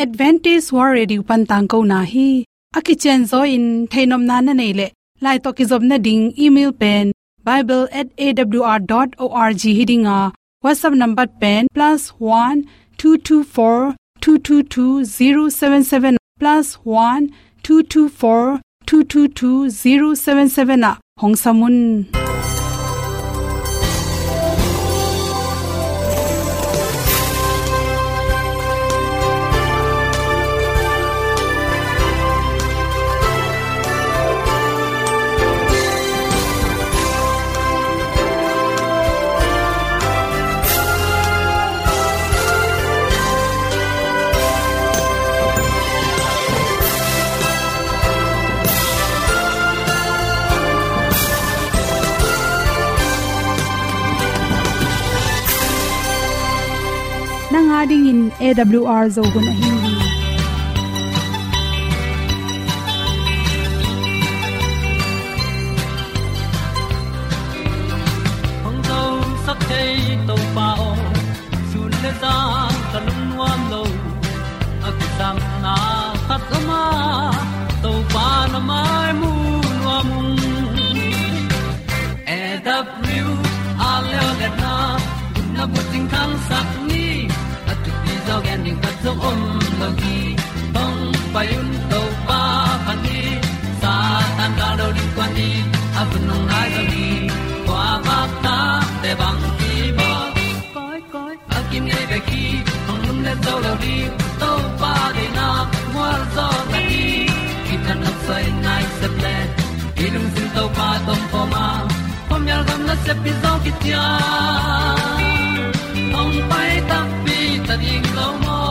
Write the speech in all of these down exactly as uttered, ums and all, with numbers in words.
Adventist World Radio pan tangkona hi. A kicianzaw in theihnopna na neih leh, lai tawh kizopna ding email pen bible at A W R dot org hi ding a, WhatsApp number pen plus one two two four two two two zero seven seven, plus one two two four two two two zero seven seven ah hong sam un. Nang a dingin A W R Zo hun ahi hi. Hong zosak thei Topa aw, sun le zan ka lungnuam lo. A kisapna khat om a, Topa na mai mu nuam ung. A W R leo le na, na bucing khangsak ni, a thupi zaw gen ding khat zong om lo hi. Hong pai un Topa phat ni, Satan ka lo ding kua ni, a hun hong nai lo hi. Kua bak ta te bang ki bawl. Koi, koi, a kinei bek hi, hong lum le zo lo ding, Topa deihna mual zaw ta hi. Kitang nok soi nai sep le, i lungsim Topa tawh om a, khuamial gam nasep pi zaw kician, hong pai takpi ta ding lo maw.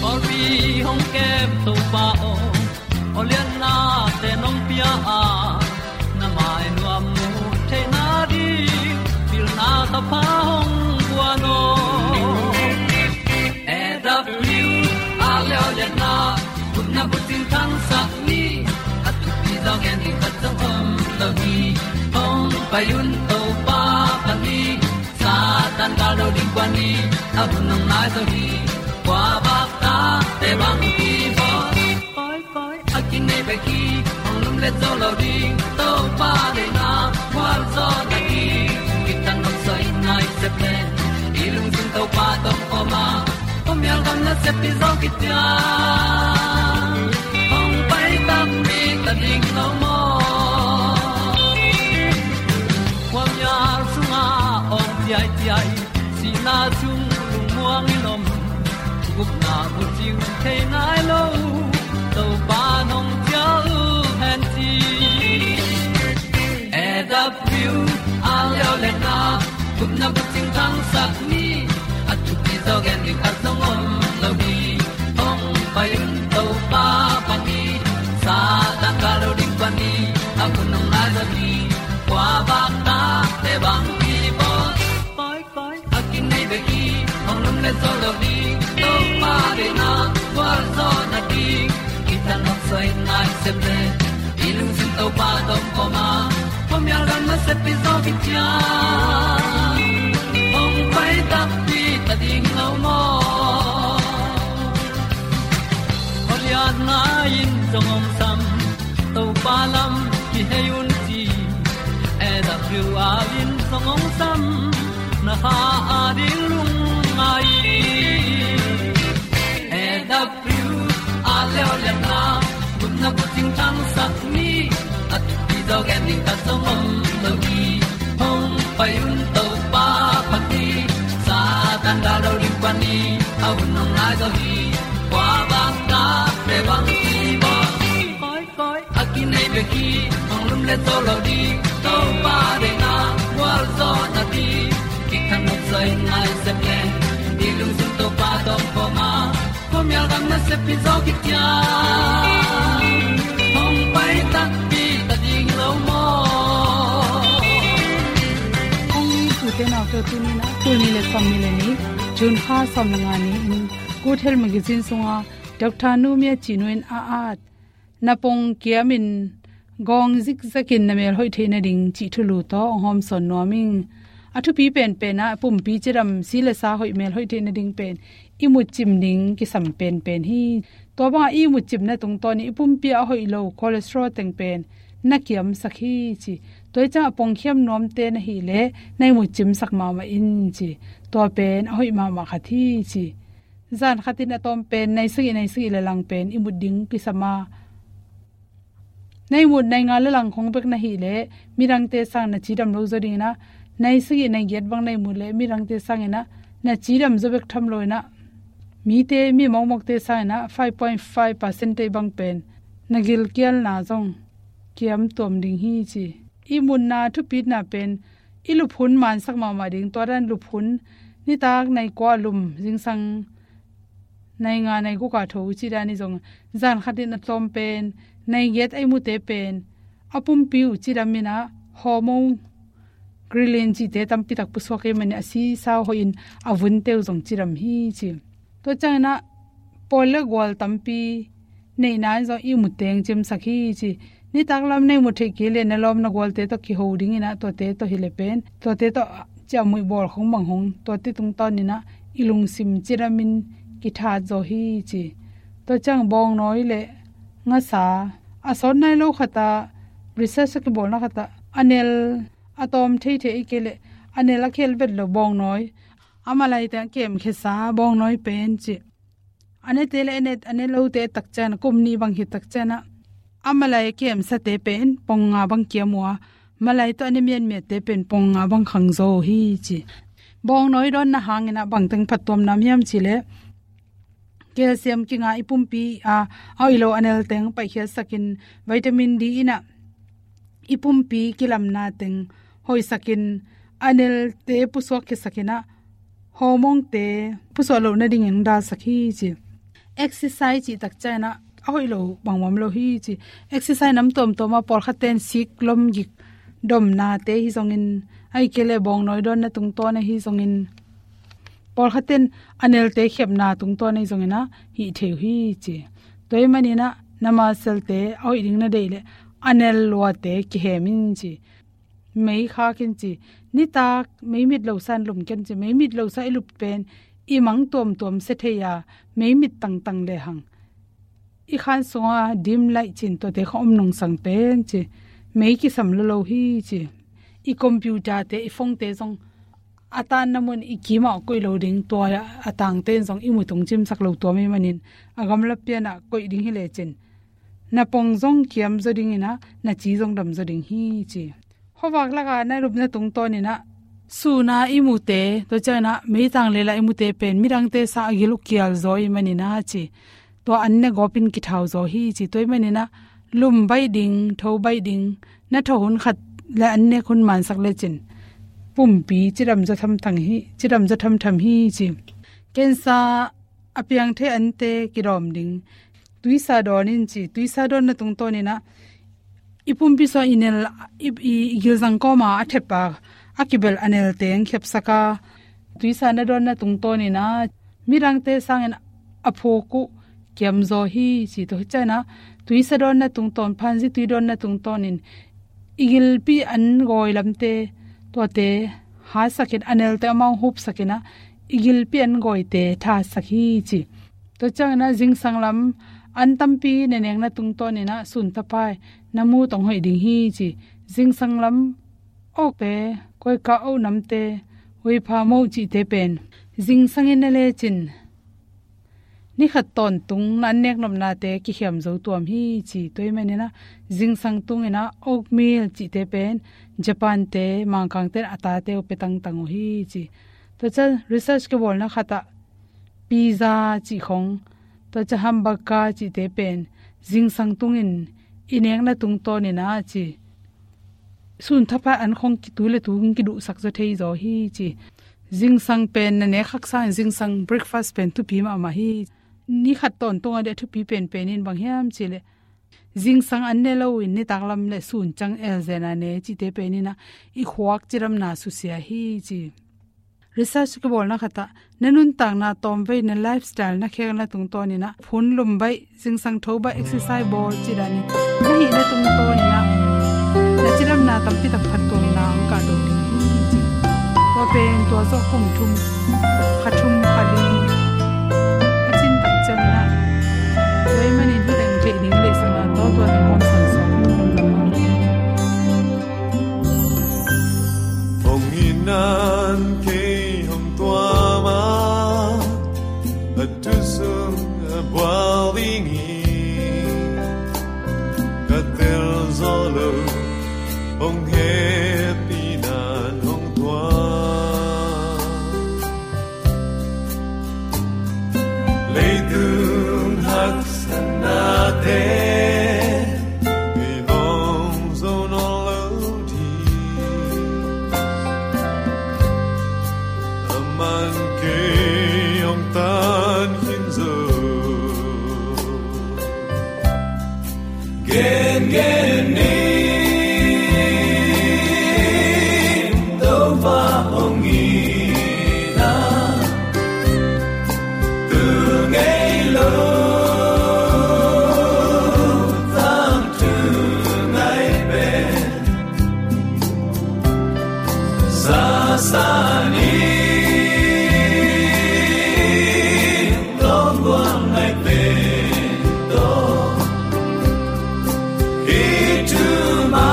Pawlpi hong kem Topa aw, aw lianna te nong pia a, na mai nuam mu theihna ding, pilna ka pha hong guan aw. A W R leo le na, gupna bucing khangsak ni, a thupi zaw gen ding khat zong om lo hi. Hong pai un Topa phat ni, Satan ka lo ding kua ni, a hun hong nai zo hi. Kua bak ta te bang ki bawl. Koi, koi, a kinei bek hi, hong lum le zo lo ding, Topa deihna mual zaw ta hi. Kitang nok soi nai sep le, i lungsim Topa tawh om a, khuamial gam nasep pi zaw kician, hong pai takpi ta ding lo maw. Khuamial sungah awng ciaiciai, sihna sung lungmuang in om, gupna bucing thei nai lo, Topa nong cial hen ci. A W R leo le na, gupna bucing khangsak ni, a thupi zaw gen ding khat zong om lo hi. Hong pai un Topa phat ni, Satan ka lo ding kua ni, a hun hong nai zo hi. Kua bak ta te bang ki bawl. Koi, koi, a kinei bek hi, hong lum le zo lo ding, Topa deihna mual zaw na ding. Kitang nok soi nai sep le, i lungsim Topa tawh om a, khuamial gam nasep pi zaw kician, hong pai takpi ta ding lo maw. Aw lianna in zong hong sam, Topa lam kihei un ci. A W R in zong hong sam, na kha a ding lungngai. A W R leo le na, gupna bucing khangsak ni, a thupi zaw gen ding khat zong om lo hi. Hong pai un Topa phat ni, Satan ka lo ding kua ni, a hun hong nai zo hi. Kua bak ta te bang ki bawl. Koi, koi, a kinei bek hi, hong lum le zo lo ding, Topa deihna mual zaw na ding. Kitang nok soi nai sep le, i lungsim Topa tawh om a, khuamial gam nasep pi zaw kician, hong pai takpi ta ding lo maw. Kong ni tute naute, tuni na, tul nih le sawmnih le nih, June kha sawm le nga ni in, Good Health Magazine sungah Doctor Nu Mia Cih Nu in a at, na pong kiam in gawng zikzak in na mel hoih theih nading cih thulu tawh hong hawmsawn nuam ing. A thupi penpen ah pumpi cidam, si le sa hoih, mel hoih theih nading pen ihmut cim ding kisam penpen hi. Tua bangah ihmut cimna tungtawn in i pumpi ah a hoih lo cholesterol teng pen na kiamsak hi ci. Tua hi ciangah pongkhiam nuamte na hih leh na ihmut cimsak mahmah in ci. Tua pen a hoih mahmah khat hi ci. Zan khatin a tawm pen nai sagih, nai sagih le lang pen ihmut ding kisam a, nai mut nai nga le lang khong bek na hih leh midangte sang na cidam lo zaw dingin ah, nai sagih nai giat bang nai mut leh midangte sangin ah na cidam zaw bek tham loin ah, mite, mi mawkmawkte sangin ah five point five percent bang pen na gilkialna zong kiam tuam ding hi ci. Ihmutna thupitna pen i lup hun mansak mahmah ding. Tua dan lup hun, nitak nai kua lum, zingsang nai nga nai guk a tho uh cih dan hi zong, zan khatin a tawm pen nai giat a ihmute pen a pumpi uh cidam in ah hormone, ghrelin cihte tampi tak pusuak ahih manin a si sa uh hoihin a vunte uh zong cidam hi ci. Tua ciangin ah pawl le gual tampi neihna in zong ihmut teng cimsak hi ci. Nitak lam na ihmut theih kei leh na lawm na gualte tawh kiho dingin ah, tuate tawh hi leh pen, tuate tawh ciahmuih bawl khong bang hong, tuate tungtawnin ah i lungsim cidamin kithat zaw hi ci. Tua ciang bawngnawi le ngasa, a sawt nai lo khatah, research a kibawlna khatah, a nel a tawm theithei kei leh a nel a khel vet lo bawngnawi, a malai teng a kemkhesa bawngnawi pen ci. A nete le a ne, a ne lote tak ciang, kum nih bang hi tak ciang ah, a malai a kemsate pen pong nga bang kiam uh a, malai tawh a ne miatmiatte pen pong nga bang khang zaw hi ci. Bawngnawi dawnna hangin ah bangteng phattuamna om hiam cih leh, calcium kinga i pumpi a, a hoih lo a nel teng paihkhiatsakin, vitamin D in ah i pumpi kilamna teng hoihsakin, a nelte pusuak khiatsakin ah, hormone-te pusuak loh nadingin dalsak hi ci. Exercise cih tak ciang ah a hoih lo bangmah om lo hi ci. Exercise nam tuamtuam ah, pawlkhatte in sik lom gik domnate hi zongin, ahih kei leh bawngnawi dawnna tungtawn ahi zongin, pawlkhatte in a nelte khepna tungtawn ahi zongin ah hih thei uh hi ci. Tua ahih manin ah na muscle-te a hoih ding na deih leh a nel luate kihem in ci. Mei khak in ci. Nitak mei mit lo sa in lum ken ci. Mei mit lo sa i lup pen i mang tuamtuam sia thei a, mei mit tangtang lehang i khan sungah dim light cih tuate khong om nungsang pen ci, mei kisam lo lo hi ci. I computer-te, i phone-te zong a tanna mun i kimah koih lo ding, tua a tangte in zong i mu tung cimsak lo tuam ahih manin, a gamla pianah koih ding hi lecin na pong zong kiam zaw dingin ah, na ci zong dam zaw ding hi ci. Khuavak lakah na lupna tungtawnin ah, sun a i mute, tua ciangin ah meitang lela i mute pen midangte sang a gil uh kial zaw ahih manin ah ci, tua an ne gawpin kithau zaw hi ci. Tua ahih manin ah lum baih ding, tho baih ding, na tho hun khat le an nek hun mansak lecin pumpi cidam zaw thamtham hi, cidam zaw thamtham hi ci. Cancer a piang thei ante kidawm ding. Tuisa dawn in ci. Tuisa dawnna tungtawnin ah i pumpi sungah i nel, i, i, i gilzang kawma a thep a, a kibelh a nelte hong khepsak a, tuisa na dawnna tungtawnin ah midangte sangin a phuk uh kiam zaw hi ci. Tua hi ciangin ah tuisa dawnna tungtawn, phanzi tui dawnna tungtawnin i gilpi an gawi lamte, tuate hatsakin, a nelte amau hupsakin ah i gilpi an gawite thatsak hi ci. Tua ciangin ah zingsang lam an tampi na nekna tungtawnin ah sun thapai na mu tong hoih ding hi ci. Zingsang lam okte, koika, oknamte, huipha, moh cihte pen zingsang in na lecin ni khat tawntung na an nek nopnate kikhiam zo tuam hi ci. Tua ahih manin ah zingsang tungin ah oatmeal cihte pen Japan-te, Mangkangte in a tate uh pia tangtang uh hi ci. Tua ciang research kibawlna khatah pizza cih khong, tua ciang hamburger cihte pen zingsang tungin i nekna tungtawnin ah ci, sun thapai an khong ki, tu le tu hong kiduhsak zaw thei zaw hi ci. Zingsang pen na nek khak sangin zingsang breakfast pen thupi mahmah hi. Ni khat tawntung a ding a thupi penpen in bang hiam cih leh, zingsang an ne loin nitak lam le sun ciang elzen a ne cihte pen in ah i khuak cidamna susia hi ci. Research kibawlna khatah na nuntakna tawmvei, na lifestyle, na khekna tungtawnin ah phun lum baih, zingsang tho baih, exercise bawl cih danin na hihna tungtawnin ah na cidamna tampi tak phattuamna hong kahto ding hi ci. Pen tua zawh kum thum, kha thum kha li a cin tak ciangin ah, tua ahih manin hih teng theih ding lei sangin ah, tua tua teng hong sansuak hong lam hong hi. Hong itna in kei hong tuam a, a thu sung a bual ding hi. Ka tel zo lo, hong hehpihna in hong tuam. Leitung haksatnate hong zo nawn lo ding. Aman kei hong tan khin zo. Gen gen ni, Topa hong itna, tu ngei lo, tangthu ngai pen. Sasa ni, longgual ngai pen to. Hi thu ma,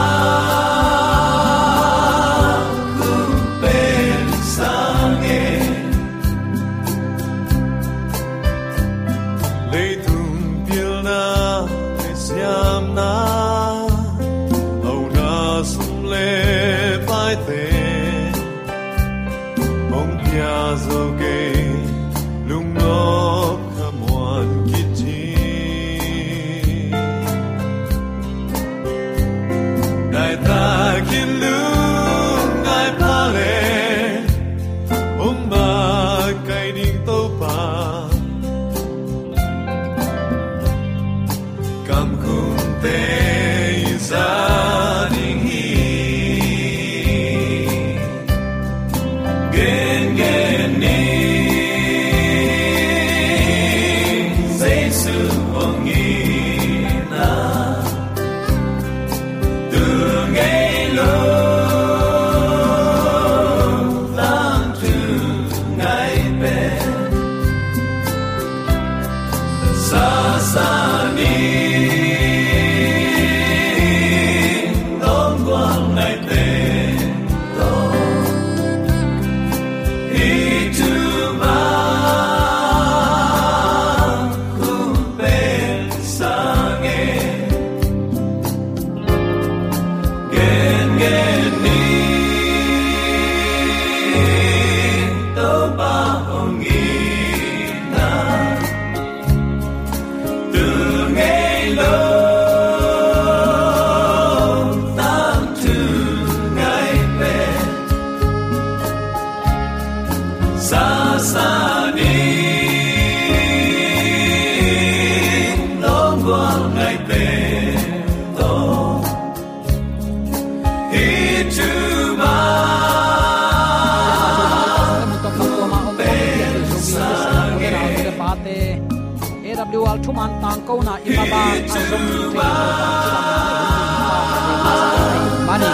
kum pen sang e. Leitung pilna, lei siamna, hauna sum le paite, hong pia zo kei, lungnop khamuan kici. Nai takin lungngai pha le, hong makaih ding Topa. Kamkhumte i za ding hi. Gen gen ni, Jesu hong itna, tu ngei lo, tangthu ngai pen. Sasa ni, longgual ngai pen to. Hi thu ma, kum pen sang e. Gen gen ni, Topa hong itna, tu ngei lo, tangthu ngai pen. Sasa ni, longgual ngai pen to. Hi thu ma, pen sang e. A W R thuman tangkona i maban a zong thei mani.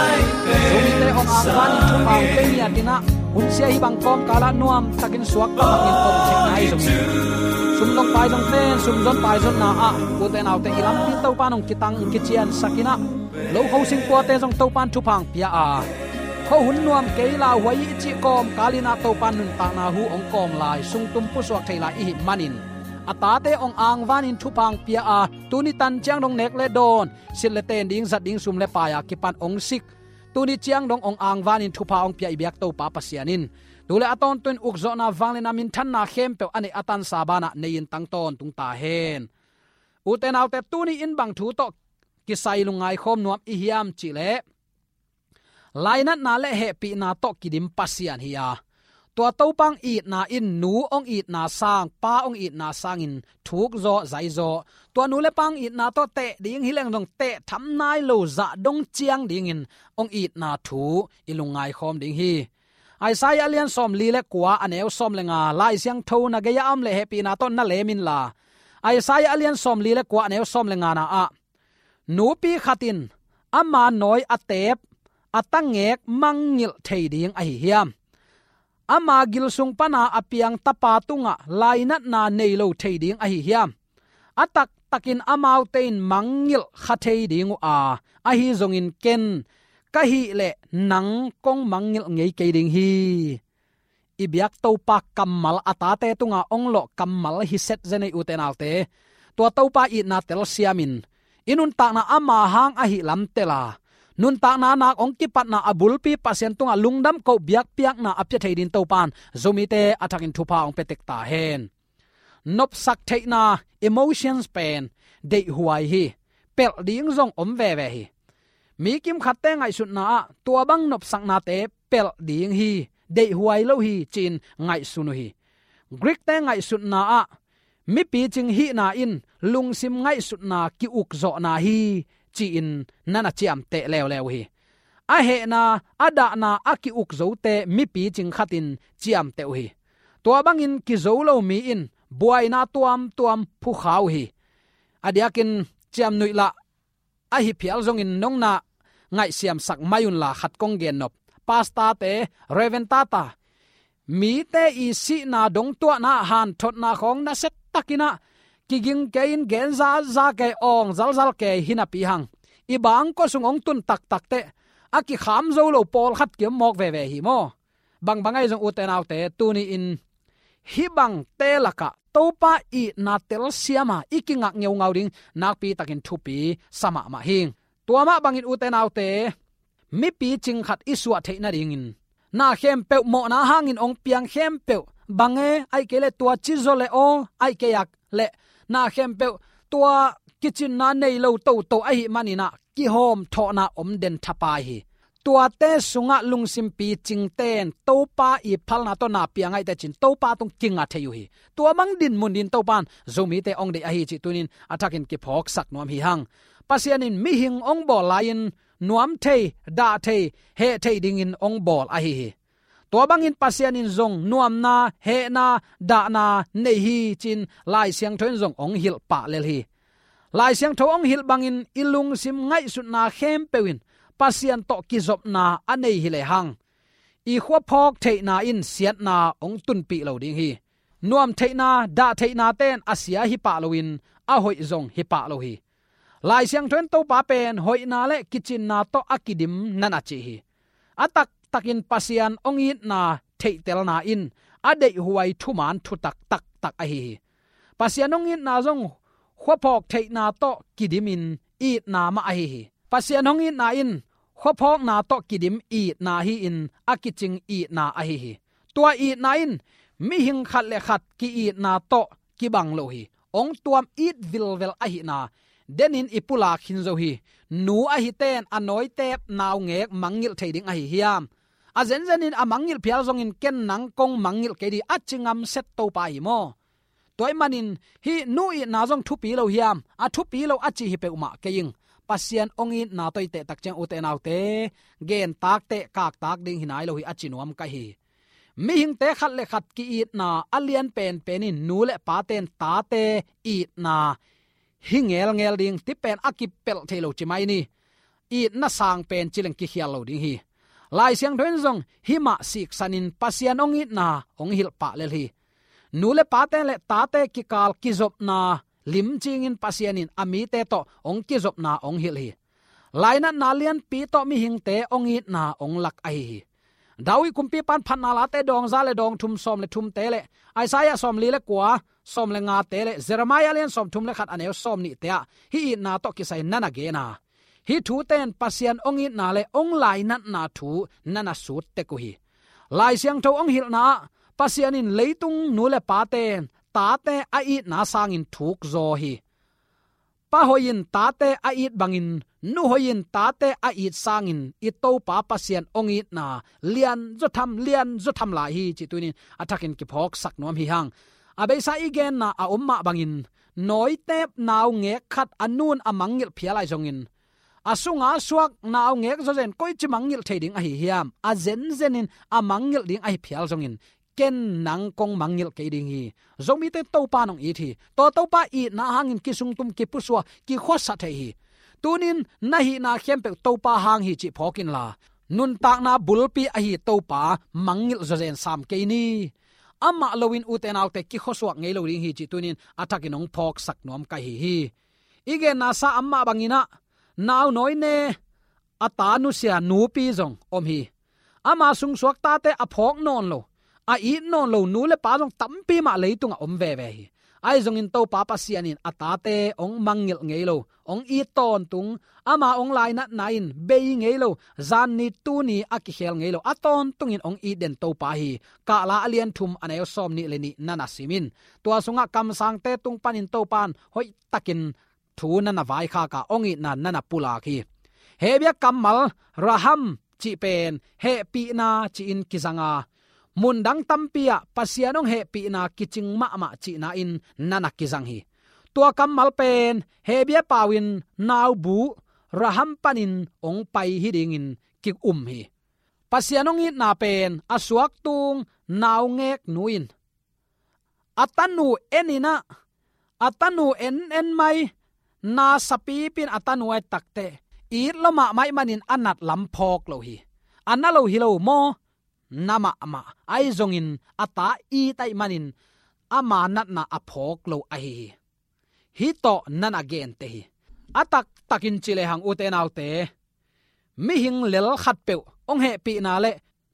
Zomite hong angvanin thupha hong pia ngiat in ah, hunsia hih bang kawmkal ah nuam takin suak tamangin om thei nai zong hi. Sum zong pai zong ten, sum zon pai zonna ah, ute naute i lampi Topa in hong kitang kiciansak in ah, lo kho singkuate zong Topa in thupha hong pia a, khuahun nuam kei lauhuai i cih kawmkal in ah Topa in nuntakna hu hong kawm lai, sungtum pusuak thei lai i hih manin, a tate hong angvanin thupha hong pia a, tuni tan ciang dong nek le dawn, silh le ten ding, zat ding, sum le pai a kipan hong sik, tuni ciang dong hong angvanin thupha hong pia i biak Topa Pasian in tu le a tawntung ukzawhna, vangliatna, minthanna khempeuh a neih a tansa banah nei-in tang tawntung ta hen. Ute naute, tuni in bang thu tawh kisai lungngai khawm nuam i hiam cih leh, lainatna le hehpihna tawh kidim Pasian hi a, tua Topa hong itna in nu hong itna sang, pa hong itna sangin thukzaw zaizaw, tua nu le pa hong itna tawh teh ding hi leng zong teh tham nai lo zah dong ciang dingin hong itna thu i lungngai khawm ding hi. Isaiah a lian sawmli le kua, a neu sawm le nga, Lai Siangtho na gei-ah a om leh hehpihna tawh na lem inla. Isaiah a lian sawmli le kua, a neu sawm le ngana ah, nupi khat in ama nawi a teep, a tangek mangngilh thei ding ahi hiam? ama gil sung pana a piang tapa tungah lainatna nei lo thei ding ahi hiam? A taktakin amaute in mangngilh kha thei ding uh a, ahi zongin ken ka hih leh nang kong mangngilh ngei kei ding hi. I biak Topa kammal a tate tunga ong lawh kammal hi set zen ei, ute naute. Tua Topa itna telsiamin i nuntakna ama hang ahi lam tel a, nuntakna nak ong kipatna a bulpi Pasian tungah lungdam koh biakpiakna a pia thei ding Topa in Zomite a thakin thupha ong pia tek ta hen. Nopsak theihna, emotions pen deihhuai hi. Pelh ding zong om veve hi. Mi kimkhatte ngaihsutna ah tua bang nopsaknate pelh ding hi, deihhuai lo hi ci-in ngaihsun uh hi. Greek-te ngaihsutna ah mipi cing hihna in lungsim ngaihsutna ki-ukzawhna hi ci-in na na ciamteh leuleu uh hi. A hehna, a dahna a ki-ukzote mipi cing khatin ciamteh uh hi. Tua bangin kizo lo mi in buaina tuamtuam phukha uh hi. A diakin ciamnuih lah ahi phial zongin nong na ngaihsiamsak mai unla khat kong gennop. Pastor-te, Reverend tata, mite i sihna dongtuahna hanthotna khawng nasia takin ah kiging kei in gen zaza kei, awng zalzal kei hi napi hang, i bangkua sung ong tun taktak teh a kikham zo lo pawlkhat ki-om mawk veve hi maw? Bangbang ahi zong, ute naute, tuni-in hih bangte lakah Topa itna telsiama i kingak ngeungau ding nakpi takin thupi sa mahmah hi. Tua mah bangin, ute naute, mipi cing khat i suah theih nadingin na khempeuh mawhna hangin ong piang khempeuh, bang e, aih kei leh tua ci zaw leh aw, aih kei ak leh na khempeuh tua kicinna nei lo toto ahih manin ah kihawmthawhna om den thapai hi. Tuate sungah lungsimpi cingte in Topa i phalna tawh na pia ngaih teh cin Topa tung kinga thei uh hi. Tua bang dinmun din Topa in Zomite ong deih ahi cih tuni-in a thakin kiphawksak nuam hi hang. Pasian in mihing ong bawl lai-in nuam thei, dah thei, heh thei dingin ong bawl ahi hi. Tua bangin Pasian in zong nuamna, hehna, dahna nei hi ci-in Lai Siangtho in zong ong hilh pah lel hi. Lai Siangtho ong hilh bangin i lungsim ngaihsutna khempeuh in Pasian tawh kizopna a nei hi lehang, i khuaphawk theihna in siatna ong tunpih lo ding hi. Nuam theihna, dah theihnate in a sia hi pah loin a hoih zong hi pah lo hi. Lai Siangtho in Topa pen hoihna le kicinna tawh a kidim na na ci hi. A taktakin Pasian ong itna theihtelna in a deihhuai thuman thutak taktak ahi hi. Pasian ong itna zong khuaphawk theihna tawh kidimin itna mah ahi hi. Pasian ong itna in khuaphawkna tawh kidim itna hi-in a kicing itna ahi hi. Tua itna in mihing khat le khat ki-itna tawh kibang lo hi. Ong tuam it vilvel ahihna denin i pulak khin zo hi. Nu ahite in a nawitep naungek mangngilh thei ding ahi hiam? A zenzenin a mangngilh phial zongin ken nang kong mangngilh kei ding a ci ngamset Topa hi maw? Tua ahih manin hih nu itna zong thupi lo hiam? A thupi lo a ci hi peuhmah kei ing. Pasian ong itna tawh i tehtak ciang, ute naute, gentak teh kaktak ding hi nai lo hi a ci nuam ka hi. Mihingte khat le khat ki-itna a lian penpen in nu le pate in tate itna hi ngelngel ding, ti pen a kipelh thei lo ci mai ni. Itna sang pen ci leng kikhial lo ding hi. Lai Siangtho in zong hih mah siksanin Pasian ong itna ong hilh pah lel hi. Nu le pate le tate kikal kizopna limcingin Pasian in a mite tawh ong kizopna ong hilh hi. Lainatna lianpi tawh mihingte ong itna ong lak ahi hi. David kumpipa in Phatna Late dawng za le dawng thum sawm le thumte le Isaiah sawmli le kua sawm le ngate le Jeremiah lian sawmthum le khat a neu sawmnihte ah hih itna tawh kisai na na gen a, hih thute in Pasian ong itna le ong lainatna thu na na sut tek uh hi. Lai Siangtho ong hilhna ah Pasian in leitung nu le pate in tate a itna sangin thuk zaw hi. Pa hoih in tate a it bangin nu hoih in tate a it sangin i Topa Pasian ong itna lianzaw tham, lianzaw tham lai hi cih tuni-in a thakin kiphawksak nuam hi hang. A beisa i genna a om mah bangin nawitep naungek khat a nu in a mangngilh phial ahi zongin, a sunga suak naungek zawzen koici mangngilh thei ding ahi hiam? A zenzenin a mangngilh ding ahi phial zongin ken nang kong mangngilh kei ding hi. Zomite Topa in ong it hi. Tua Topa itna hangin kisungtum, kipusua, kikhuasa thei hi. Tuni-in na hihna khempeuh Topa hang hi cih phawk inla, nuntakna bulpi ahi Topa mangngilh zawzen sam kei ni. Amah loin ute naute kikhuasuak ngei lo ding hi cih tunin a thakin hong phawksak nuam ka hi hi. I genna sa amah bangin ah, naunawi ne a ta nusia nupi zong om hi. Ama sungsuak tate a phawk nawn lo, a it nawn lo nu le pa zong tampi mah leitungah om veve hi. Ahi zongin Topa Pasian in a tate hong mangngilh ngei lo, hong it tawntung, ama hong lainatna in bei ngei lo, zanni tuni a kikhel ngei lo, a tawntungin hong it den Topa hi. Kahla a lian thum a neu sawm nih le nih na na sim in. Tua sungah kamsangte tung panin Topa in hoihtakin thu na na vaikhak a, hong itna na na pulak hi. Hebia kammal raham cih pen hehpihna ci-in kizang a, mundang tampi ah Pasian hong hehpihna kicing mahmah cihna in na na kizang hi. Tua kammal pen Hebia pau in naubu raham panin hong pai hi dingin ki-um hi. Pasian hong itna pen a suaktung naungek nu in a tanu en in ah, a tanu en en mai, na sapipin a tanu a et takteh, it lua mahmah ahih manin a nat lam phawk lo hi. A na lo hi lo maw? Na mahmah. Ahi zongin a ta it ahih manin ama natna a phawk lo ahi hi. Hih tawh na na gente hi. A taktakin ci lehang ute naute, mihing lel khatpeuh hong hehpihna le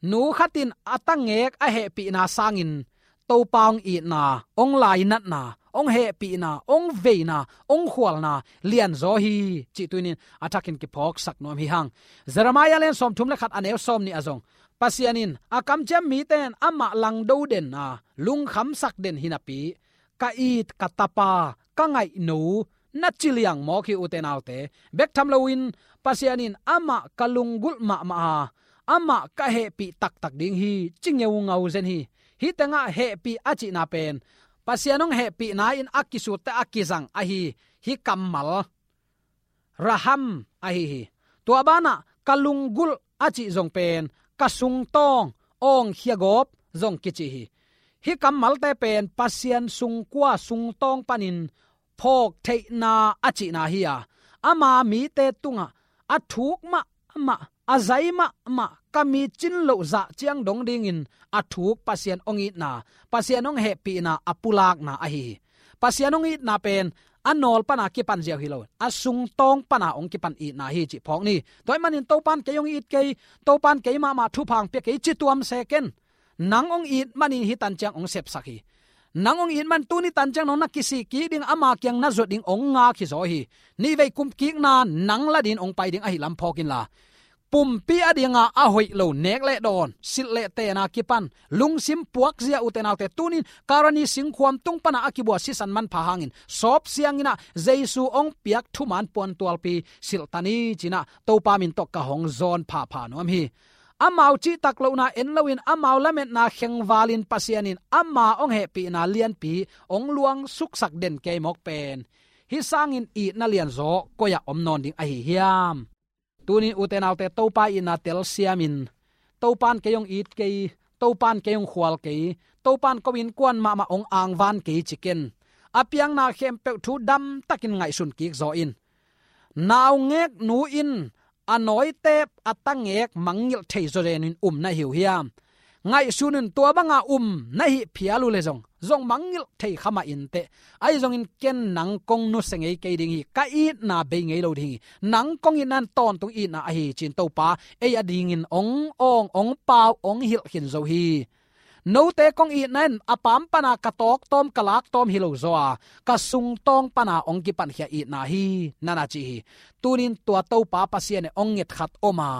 nu khat in a tangek a hehpihna sangin Topa hong itna, hong lainatna, hong hehpihna, hong veina, hong khualna lianzaw hi cih tunin a thakin kiphawksak nuam hi hang. Jeremiah lian sawmthum le khat a neu sawm nih ah zong Pasian in a kamciam mite in amah langdo den a, lungkhamsak den hi napi, ka it ka tapa, ka ngaihno, na ci liang mawk hi ute naute. Bek tham loin Pasian in amah ka lunggulh mahmah a, amah ka hehpih taktak ding hi ci ngeungau zen hi. Hih tengah hehpih a cihna pen Pasian hong hehpihna in a kisutte a kizang ahi hih kammal raham ahi hi. Tua banah ka lunggulh a cih zong pen ka sungtawng, awngkhia gawp zong kici hi. Hih kammalte pen Pasian sungkua, sungtawng panin phawk theihna a cihna hi a, ama mite tungah a thuk mahmah, a zai mahmah, ka mi cin loh zah ciang dong dingin a thuk Pasian hong itna, Pasian hong hehpihna a pulakna ahi hi. Pasian hong itna pen a nawl pana kipan ziau hi lo, a sungtawng pana hong kipan itna hi cih phawk ni. Tua ahih manin Topa in kei hong it kei, Topa in kei mahmah thupha hong pia kei ci tuam se ken. Nang hong it manin hih tan ciang hong sepsak hi. Nang hong it man tuni tan ciang nong na kisih kik ding, ama kiang na zuat ding hong ngak hi zaw hi. Nihvei kum kikna nang la dingin hong pai ding ahi lam phawk inla, pumpi a dinga a hoih lo nek le dawn, silh le tena kipan lungsim puakzia ute naute, tunin Karani singkhuam tung pana a kibua sisan manpha hangin sawp siangin ah Jesu hong piak thuman puantualpi silh ta ni ci-in ah Topa min tawh ka hong zawn phapha nuam hi. Amau cihtak lohna en loin amau lametna khengvalin Pasian in ama hong hehpihna lianpi hong luang suksak den kei mawk pen hih sangin itna lianzaw koi-ah om nawn ding ahi hiam? Tunin ute naute, Topa itna telsiamin, Topa in kei hong it kei, Topa in kei hong khual kei, Topa in ko innkuan mahmah hong angvan kei ci ken. A piakna khempeuh thu damtakin ngaihsun kik zaw in. Naungek nu in a nawitep a tangek mangngilh thei zawzen in um na hi uh hiam? Ngaihsun un, tua banga um na hih phial uh leh zong, zong mangngilh thei kha mah inteh. Ahi zongin ken nang kong nusia ngei kei ding hi, ka itna bei ngei lo ding hi. Nang kong itna in tawntung itna ahi hi ci-in Topa ei adingin hong awng, hong pau, hong hilh khin zo hi. Note kong itna in a paam pana ka tawktawm, ka laktawm hi lo zaw a, ka sungtawng pana hong kipankhia itna hi, na na ci hi. Tunin tua Topa Pasian in hong nget khat om a,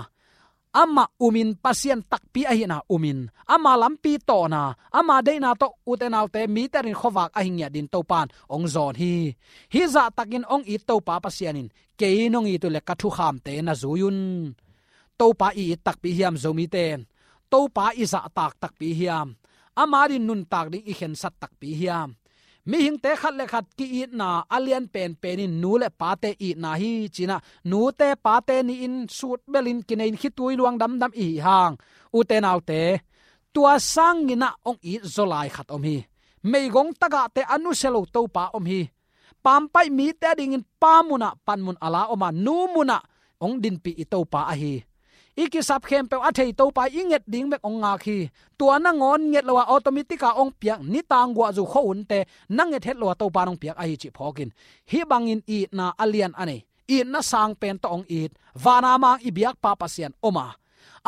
amah umin, Pasian takpi ahihna umin, ama lampi tawhna, ama deihna tawh ute naute, mite adingin khuavak ahi ngiat dingin Topa in hong zawn hi. Hih zahtakin hong it Topa Pasian in kei nong it uh leh ka thukhamte na zui un. Topa i it takpi hiam Zomite in? Topa i zahtak takpi hiam? Ama adingin nuntak ding i khensat takpi hiam? Mihingte khat le khat ki-itna a lian penpen in nu le pate itna hi ci-in ah, nute pate ni-in sutbelin kinei-in khitui luang damdam i hih hang, ute naute, tua sangin ah hong it zaw lai khat om hi. Meigong tagahte a nusia lo Topa om hi. Pampaih mite adingin pa munah panmun a la om a, nu munah hong dinpih i Topa ahi hi. i kisap khempeuh a thei Topa i nget ding bek hong ngak hi. Tua nangawn nget lo a automatic a hong piak, nitang guahzu khuahunte na nget het lo a Topa in hong piak ahi cih phawkin, hih bangin itna a lian a nei, itna sang pen tawh hong it, vana mang i biakpa Pasian om a,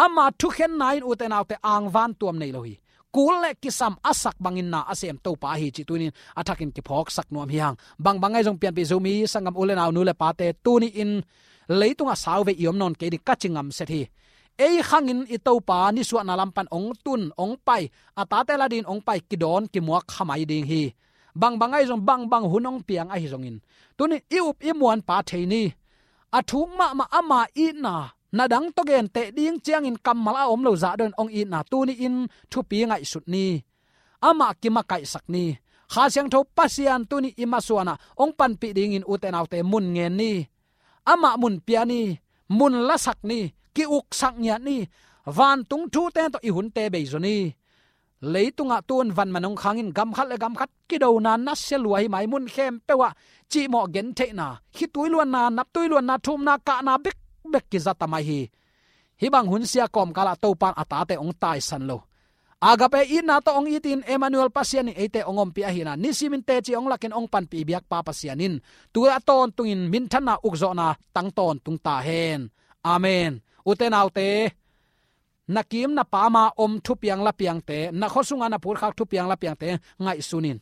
ama thukhenna in ute naute angvan tuam nei lo hi. Kul le kisam a sak bangin na a sem Topa ahi cih tunin a thakin kiphawksak nuam hi hang. Bangbang ahi zong pianpih Zomi sanggam u le nau, nu le pate, tuni-in leitungah sauvei i om nawn kei ding ka ci ngamset hi. Ei khangin i Topa nisuahna lam pan hong tun, hong pai, a tate la dingin hong pai, kidawn kimuak kha mai ding hi. Bangbang ahi zong, bangbang hun hong piang ahi zongin, tuni i up i muanpa thei ni. A thuk mahmah ama itna, na dang tawh genteh ding ciangin kammal a om lo zah dongin hong itna tuni-in thupi ngaihsut ni. Amah kimakaihsak ni. Kha Siangtho Pasian tuni i masuanah hong panpih dingin ute naute mun ngen ni. Amah mun pia ni. Mun lasak ni. Ki-uksak ngiat ni. Vantung thute tawh i hunte bei zaw ni. Leitungah tun vanman hong khangin gam khat le gam khat kidona nasia lua hi mai, mun khempeuh ah cihmawh gentheihna, khitui luanna, naptui luanna, thumna, kahna bekbek kiza ta mai hi. Hih bang hun sia kawmkalah Topa in a tate hong taisan lo. Agape itna tawh hong itin Emmanuel Pasian in eite hong ompih ahihna nisimin teci hong lakin hong panpih biakpa Pasian in tu a tawntungin minthanna ukzawhna tang tawntung ta hen. Amen. Ute naute, na kim na pama om thupiang lapiangte, na khua sunga na phutkhak thupiang lapiangte ngaihsun in.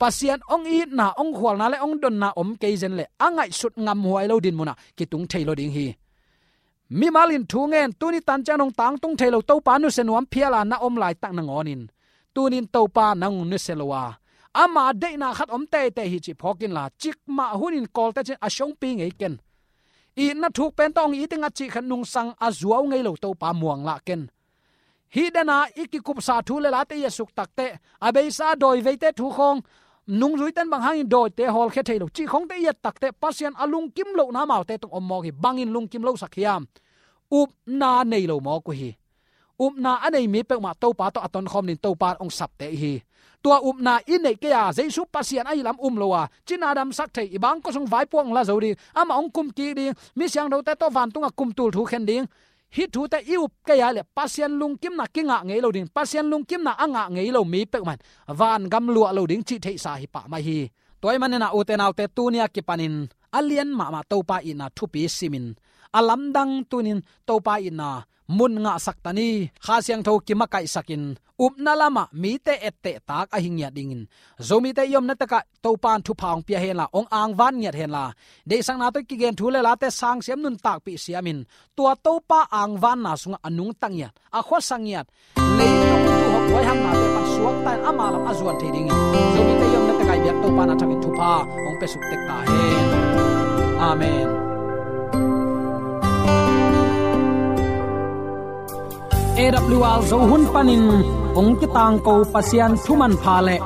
Pasian hong itna, hong khualna le hong donna om kei zen le a ngaihsut ngamhuai lo dinmunah kitung thei lo ding hi. Mimal in thu ngen, tuni tan ciang hong tangtung thei lo Topa nusia nuam phiala na om laitak nangawnin tunin Topa nang nusia lo a, ama deihna khat om teitei hi cih phawk inla, cikmah hunin kawlte cin a siongpi ngei ken. Itna thuk pen tawh hong it ing a cih khat nungsang a zuau ngei lo Topa muanglah ken. Hih dena i kikupsa thu le late i et suk takteh, a beisa dawi veite thu khawng, nungzuiten bang hangin dawite hawlkhia thei lo cih khawngte i et takteh, Pasian a lungkim lohna amaute tung om mawk hi. Bangin lungkim losak hiam? Upna nei lo mawk uh hi. Upna a nei mi peuhmah Topa tawh a tonkhawm ding Topa in hong sapte i hi. Tua upna i neih kei a, Jesu Pasian ahi lam um lo a, cina damsak thei, i bangkua sung vaipuak hong la zo ding, amah hong kumkik ding, mi siangthote tawh vantungah kumtul thu khen ding, hih thute i up kei a leh Pasian lungkimna kingah ngei lo ding, Pasian lungkimna a ngah ngei lo mi peuhmah in vangam luah lo ding cih theihsa hi pah mai hi. Tua ahih manin a ute naute, tuni-a kipanin a lian mahmah Topa itna thupi simin, a lamdang tunin Topa itna mun ngahsak ta ni. Kha Siangtho kimakaihsakin upna lamah mite etteh tak ahi ngiat dingin, Zomite i omna tekah Topa in thupha hong pia henla, hong angvan ngiat henla, deihsakna tawh kigen thu le late sangsiam nuntakpih siamin, tua Topa angvanna sungah a nungta ngiat, a khuasa ngiat, leitung tuuhawk buaihamnate pan suakta in ama lam a zuan thei dingin Zomite i omna tekah i biak Topa in a thakin thupha hong pia suk tek ta hen. Amen. A W R Zo hun panin hong kitangko Pasian thu manpha le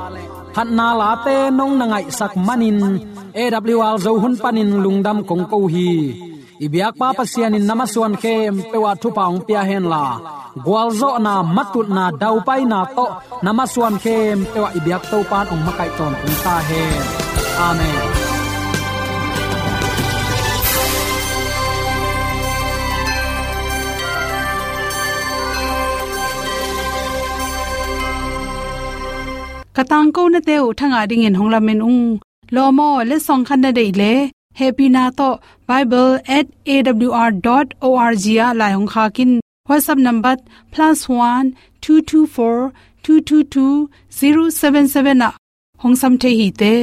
phatna late nong na ngaihsak manin A W R Zo hun panin lungdam kong ko hi. I biakpa Pasian in na masuan khempeuh ah thupha hong pia henla, gualzawhna, matutna, daupaina tawh na masuan khempeuh ah i biak Topa in hong makaih tawntung ta hen. Amen. Ka tangkonate uh thangah dingin hong lamen ung. Lawm aw, letsong khat na deih leh, hehpihna tawh bible at A W R dot O R G ah lai hong khak in. WhatsApp number plus one two two four two two two zero seven seven ah hong sam thei hi te.